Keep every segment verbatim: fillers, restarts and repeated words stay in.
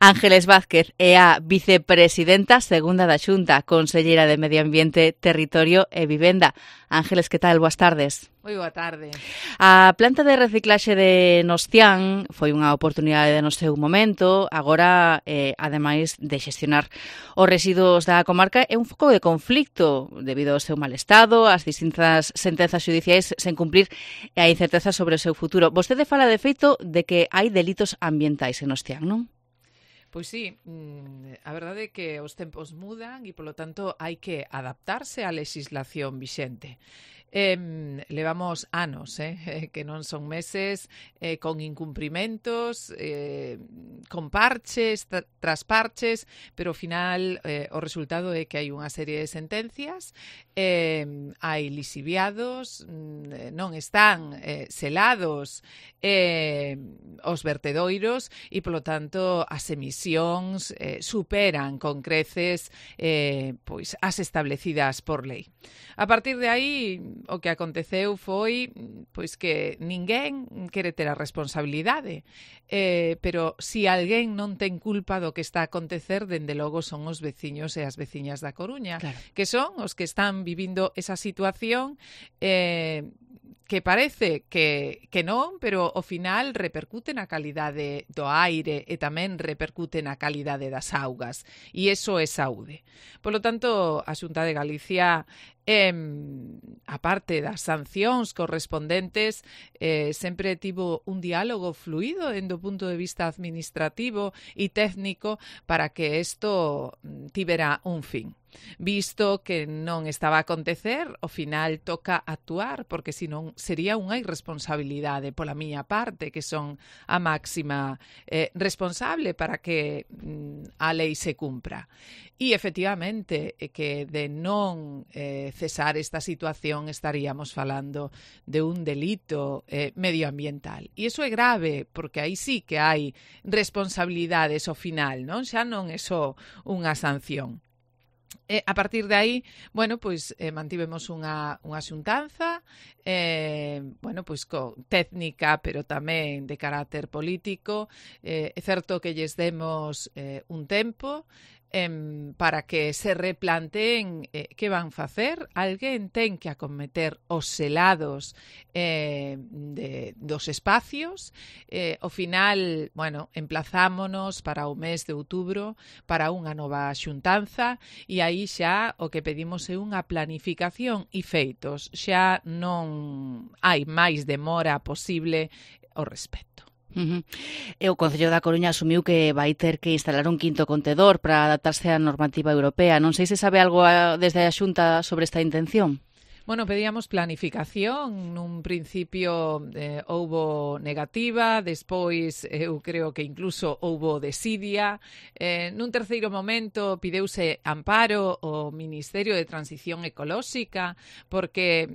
Ángeles Vázquez é a vicepresidenta segunda da Xunta, conselleira de Medio Ambiente, Territorio e Vivenda. Ángeles, que tal? Boas tardes. Moi boa tarde. A planta de reciclaxe de Nostián foi unha oportunidade no seu momento. Agora, eh, ademais de xestionar os residuos da comarca, é un foco de conflicto debido ao seu mal estado, as distintas sentenzas judiciais sen cumprir e a incerteza sobre o seu futuro. Vostede fala de feito de que hai delitos ambientais en Nostián, non? Pois sí, a verdade é que os tempos mudan e, polo tanto, hai que adaptarse á legislación vixente. Eh, levamos anos, eh, que non son meses, eh, con incumprimentos, eh, con parches, tra tras parches, pero ao final eh, o resultado é que hai unha serie de sentencias, eh, hai lisiviados, non están eh, selados eh, os vertedoiros e, polo tanto, as emisións eh, superan con creces eh, pois as establecidas por lei. A partir de aí, o que aconteceu foi pois que ninguén quere ter a responsabilidade, eh, pero si alguén non ten culpa do que está a acontecer, dende logo son os veciños e as veciñas da Coruña, claro, que son os que están vivindo esa situación eh, que parece que, que non, pero ao final repercute na calidade do aire e tamén repercute na calidade das augas. E iso é saúde. Polo tanto, a Xunta de Galicia, eh, a parte das sancións correspondentes, eh, sempre tivo un diálogo fluido dende o punto de vista administrativo e técnico para que isto tivera un fin. Visto que non estaba a acontecer, ao final toca actuar, porque senón sería unha irresponsabilidade pola miña parte, que son a máxima eh, responsable para que mm, a lei se cumpra. E, efectivamente, que de non eh, cesar esta situación estaríamos falando de un delito eh, medioambiental. E iso é grave, porque aí sí que hai responsabilidades ao final, non? Xa non é só unha sanción. E a partir de aí, bueno, pois eh, mantivemos unha, unha xuntanza, eh, bueno, pois co técnica, pero tamén de carácter político. Eh, é certo que lles demos eh, un tempo eh, para que se replanteen eh, que van facer. Alguén ten que acometer os selados eh, de, dos espacios. Eh, ao final, bueno, emplazámonos para o mes de outubro para unha nova xuntanza e aí xa o que pedimos é unha planificación e feitos. Xa non hai máis demora posible ao respecto. Uh-huh. E o Concello da Coruña asumiu que vai ter que instalar un quinto contedor para adaptarse á normativa europea. Non sei se sabe algo a, desde a Xunta sobre esta intención. Bueno, pedíamos planificación. Nun principio eh, houbo negativa, despois eu creo que incluso houbo desidia. Eh, nun terceiro momento pideuse amparo ao Ministerio de Transición Ecolóxica porque,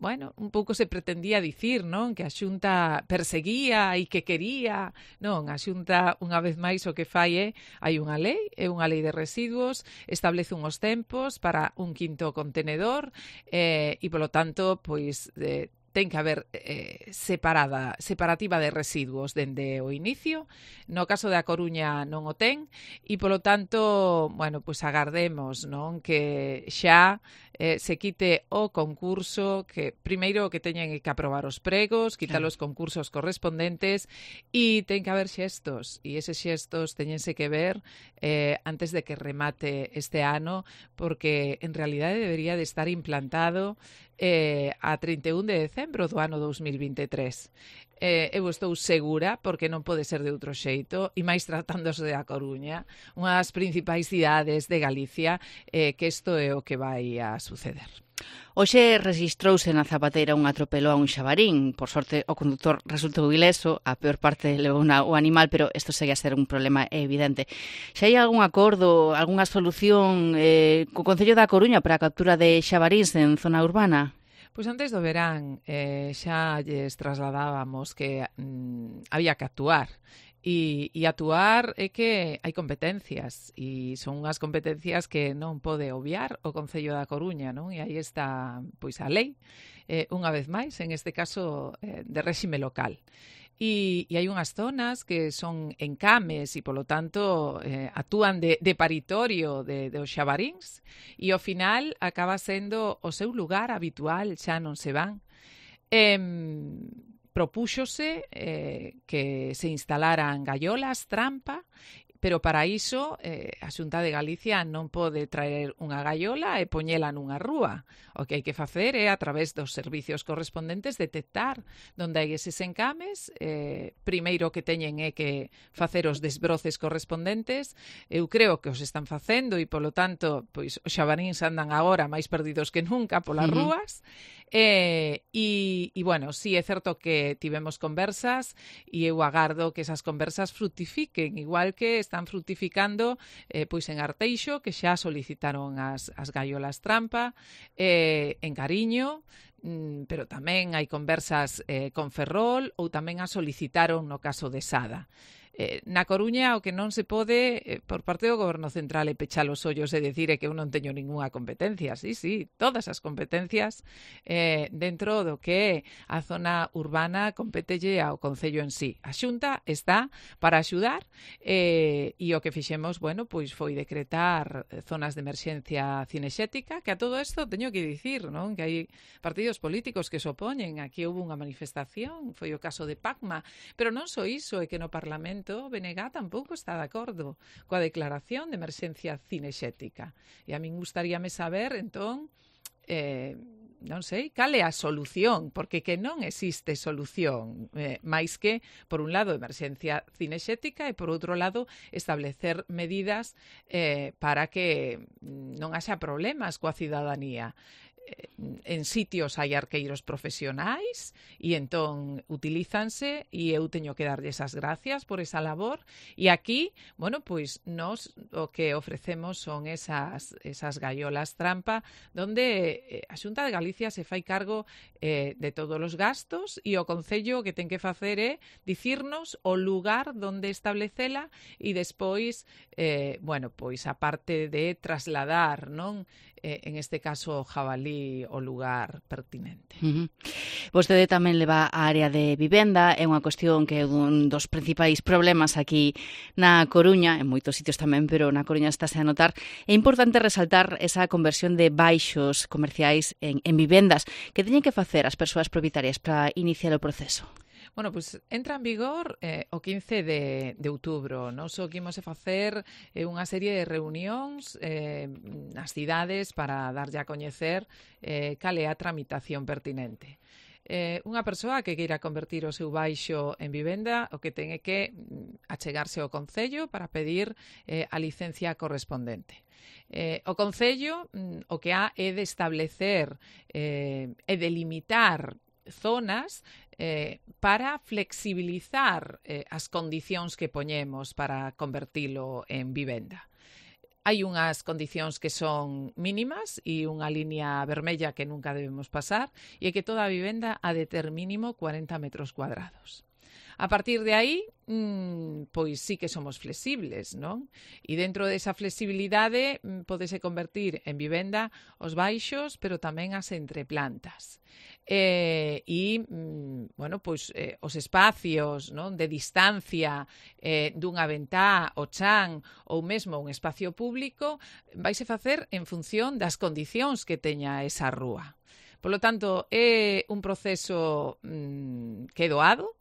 bueno, un pouco se pretendía dicir, non, que a Xunta perseguía e que quería. Non, a Xunta, unha vez máis, o que fai é, hai unha lei, é unha lei de residuos, establece unhos tempos para un quinto contenedor, eh, e, polo tanto, pois, eh, ten que haber eh, separada, separativa de residuos dende o inicio. No caso da Coruña non o ten e, polo tanto, bueno, pois agardemos, non, que xa eh, se quite o concurso, que primeiro que teñen que aprobar os pregos, quitar claro. Os concursos correspondentes e ten que haber xestos, e eses xestos teñense que ver eh, antes de que remate este ano, porque en realidade debería de estar implantado eh, a trinta e un de decembro do ano dous mil vinte e tres. Eh, eu estou segura, porque non pode ser de outro xeito, e máis tratándose da Coruña, unha das principais cidades de Galicia, eh, que isto é o que vai a suceder. Hoxe registrouse na Zapateira un atropelo a un xabarín. Por sorte, o conductor resultou ileso, a peor parte levou o animal, pero isto segue a ser un problema evidente. Xa hai algún acordo, algunha solución eh, co Concello da Coruña para a captura de xabaríns en zona urbana? Pois antes do verán eh, xa lles trasladábamos que mm, había que actuar. E, e actuar é que hai competencias e son unhas competencias que non pode obviar o Concello da Coruña, non? E aí está pois a lei, eh, unha vez máis, en este caso eh, de réxime local. E, e hai unhas zonas que son encames e, polo tanto, eh, actúan de, de paritorio de, de os xabaríns e, ao final, acaba sendo o seu lugar habitual, xa non se van. Eh, propúxose eh, que se instalaran gaiolas trampa, pero para iso eh, a Xunta de Galicia non pode traer unha gaiola e poñela nunha rúa. O que hai que facer é, a través dos servicios correspondentes, detectar onde hai eses encames. Eh, primeiro que teñen é que facer os desbroces correspondentes. Eu creo que os están facendo e, polo tanto, pois os xabaríns andan agora máis perdidos que nunca polas uh-huh. rúas. Eh, e, e, bueno, sí, é certo que tivemos conversas e eu agardo que esas conversas frutifiquen, igual que están frutificando eh, pois en Arteixo, que xa solicitaron as, as gaiolas trampa, eh, en Cariño, mm, pero tamén hai conversas eh, con Ferrol, ou tamén as solicitaron no caso de Sada. Eh, na Coruña o que non se pode eh, por parte do Goberno Central é pechar os ollos e decir é que eu non teño ningunha competencia. Sí, sí, todas as competencias eh, dentro do que a zona urbana competelle ao Concello en sí. A Xunta está para axudar eh, e o que fixemos, bueno, pois foi decretar zonas de emerxencia cinexética, que a todo isto teño que dicir, non? Que hai partidos políticos que se opoñen. Aquí houve unha manifestación, foi o caso de Pacma, pero non só iso, é que no Parlamento o B N G tampouco está de acordo coa declaración de emerxencia cinexética. E a min gustaríame saber, entón, eh, non sei, cal é a solución, porque que non existe solución, eh, máis que, por un lado, emerxencia cinexética e, por outro lado, establecer medidas eh, para que non haxa problemas coa cidadanía. En sitios hai arqueiros profesionais e entón utilízanse e eu teño que darlle esas gracias por esa labor e aquí, bueno, pois nos o que ofrecemos son esas, esas gaiolas trampa donde a Xunta de Galicia se fai cargo eh, de todos os gastos e o Concello que ten que facer é dicirnos o lugar donde establecela e despois, eh, bueno, pois a parte de trasladar, non? Eh, en este caso o jabalí o lugar pertinente. Uh-huh. Vostede tamén leva a área de vivenda, é unha cuestión que é un dos principais problemas aquí na Coruña, en moitos sitios tamén, pero na Coruña estáse a notar. É importante resaltar esa conversión de baixos comerciais en, en vivendas. Que teñen que facer as persoas propietarias para iniciar o proceso? Bueno, pois pues, entra en vigor eh, o quince de, de outubro. Nos o que imos a facer é eh, unha serie de reunións eh, nas cidades para darlle a coñecer eh, cal é a tramitación pertinente. Eh, unha persoa que queira convertir o seu baixo en vivenda o que ten é que achegarse ao Concello para pedir eh, a licencia correspondente. Eh, o Concello mm, o que ha é de establecer eh, e delimitar zonas eh, para flexibilizar eh, as condicións que poñemos para convertilo en vivenda. Hai unhas condicións que son mínimas e unha línea vermella que nunca debemos pasar e é que toda a vivenda ha de ter mínimo cuarenta metros cuadrados. A partir de aí, mmm, pois sí que somos flexibles, non? E dentro desa flexibilidade mmm, podese convertir en vivenda os baixos, pero tamén as entreplantas. Eh, e, mmm, bueno, pois eh, os espacios, non, de distancia eh, dunha ventá, o chan ou mesmo un espacio público vaise facer en función das condicións que teña esa rúa. Por lo tanto, é un proceso mmm, que é doado.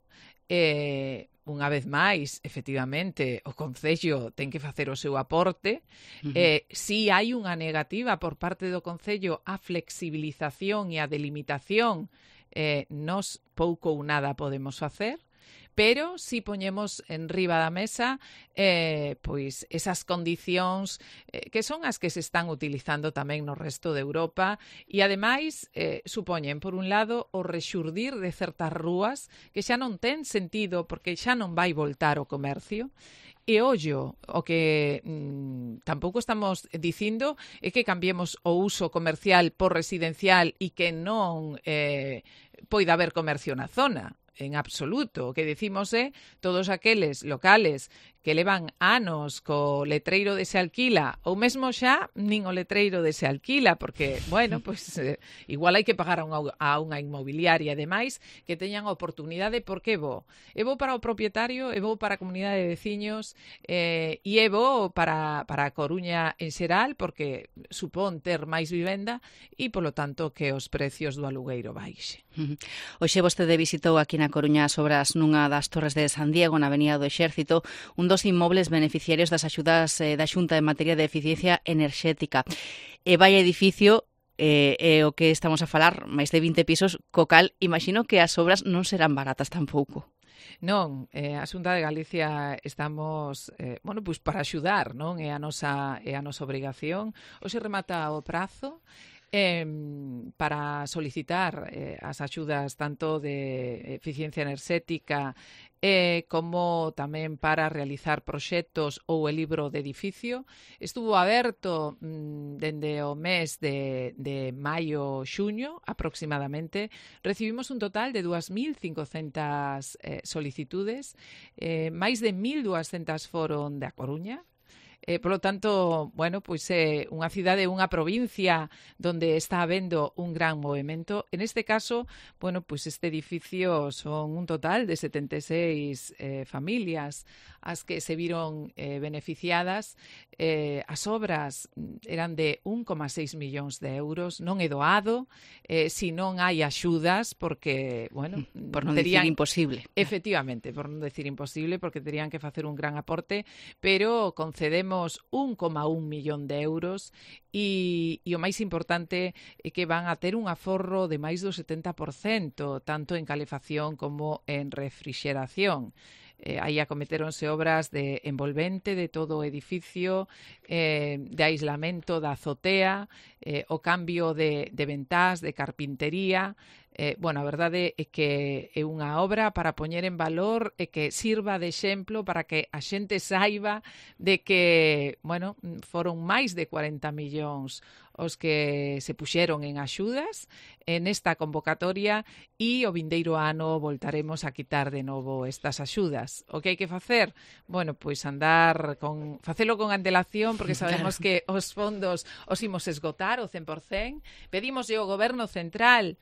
Eh, unha vez máis, efectivamente, o Concello ten que facer o seu aporte. Uh-huh. Eh, si hai unha negativa por parte do Concello á flexibilización e á delimitación, eh, nos pouco ou nada podemos facer. Pero si poñemos en riba da mesa eh, pois esas condicións eh, que son as que se están utilizando tamén no resto de Europa e ademais eh, supoñen, por un lado, o rexurdir de certas rúas que xa non ten sentido porque xa non vai voltar o comercio. E ollo, o que mm, tampouco estamos dicindo é que cambiemos o uso comercial por residencial e que non eh, poida haber comercio na zona. En absoluto. O que decimos é todos aqueles locales que levan anos co letreiro de se alquila, ou mesmo xa nin o letreiro de se alquila, porque, bueno, pois pues, eh, igual hai que pagar a unha, a unha inmobiliaria, ademais, que teñan oportunidade, porque é bo. É bo para o propietario, é bo para a comunidade de veciños, eh, e é bo para, para a Coruña en xeral, porque supón ter máis vivenda e, polo tanto, que os precios do alugueiro baixe. Hoxe vostede visitou aquí na Coruña as obras nunha das torres de San Diego, na Avenida do Exército, un dos inmobles beneficiarios das axudas eh, da Xunta en materia de eficiencia enerxética. E vai edificio, eh, é o que estamos a falar, máis de vinte pisos, co cal imagino que as obras non serán baratas tampouco. Non, eh, a Xunta de Galicia estamos, eh, bueno, pois para axudar, non? É a nosa, é a nosa obrigación. Hoxe remata o prazo Eh, para solicitar eh, as axudas tanto de eficiencia enerxética eh, como tamén para realizar proxectos ou o libro de edificio. Estuvo aberto mm, dende o mes de, de maio-xuño aproximadamente. Recibimos un total de dúas mil cincocentas eh, solicitudes, eh, máis de mil duascentas foron da Coruña. Eh, polo tanto, bueno, pois é unha cidade, unha provincia donde está habendo un gran movimento. En este caso, bueno, pois este edificio son un total de setenta e seis eh, familias as que se viron eh, beneficiadas. Eh, as obras eran de un coma seis millóns de euros, non é doado, eh, si non hai axudas, porque, bueno, por non terían, decir imposible. Efectivamente, por non decir imposible, porque terían que facer un gran aporte, pero concedemos un coma un millón de euros e, e o máis importante é que van a ter un aforro de máis do setenta por cento, tanto en calefacción como en refrixeración. Eh, aí acometeronse obras de envolvente de todo o edificio, eh, de aislamento da azotea, eh, o cambio de, de ventás, de carpintería. Eh, bueno, a verdade é que é unha obra para poñer en valor e que sirva de exemplo para que a xente saiba de que, bueno, foron máis de cuarenta millóns os que se puxeron en axudas en esta convocatoria e o vindeiro ano voltaremos a quitar de novo estas axudas. O que hai que facer? Bueno, pois andar con facelo con antelación, porque sabemos claro. que os fondos os imos esgotar o cen por cen. Pedimos ao Goberno Central,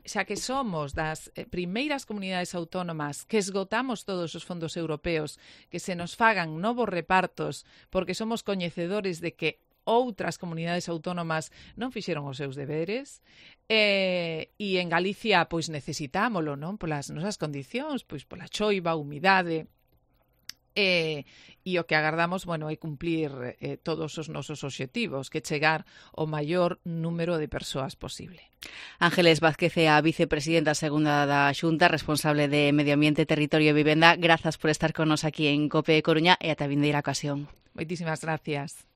xa que somos das primeiras comunidades autónomas que esgotamos todos os fondos europeos, que se nos fagan novos repartos, porque somos coñecedores de que outras comunidades autónomas non fixeron os seus deberes, eh, e en Galicia pois necesitámolo, non? Polas nosas condicións, pois pola choiva, humidade, eh, e o que agardamos, bueno, é cumplir eh, todos os nosos obxectivos, que chegar ao maior número de persoas posible. Ángeles Vázquez é a vicepresidenta segunda da Xunta, responsable de Medio Ambiente, Territorio e Vivenda. Grazas por estar con nos aquí en COPE Coruña e ata a vindeira ocasión. Moitísimas gracias.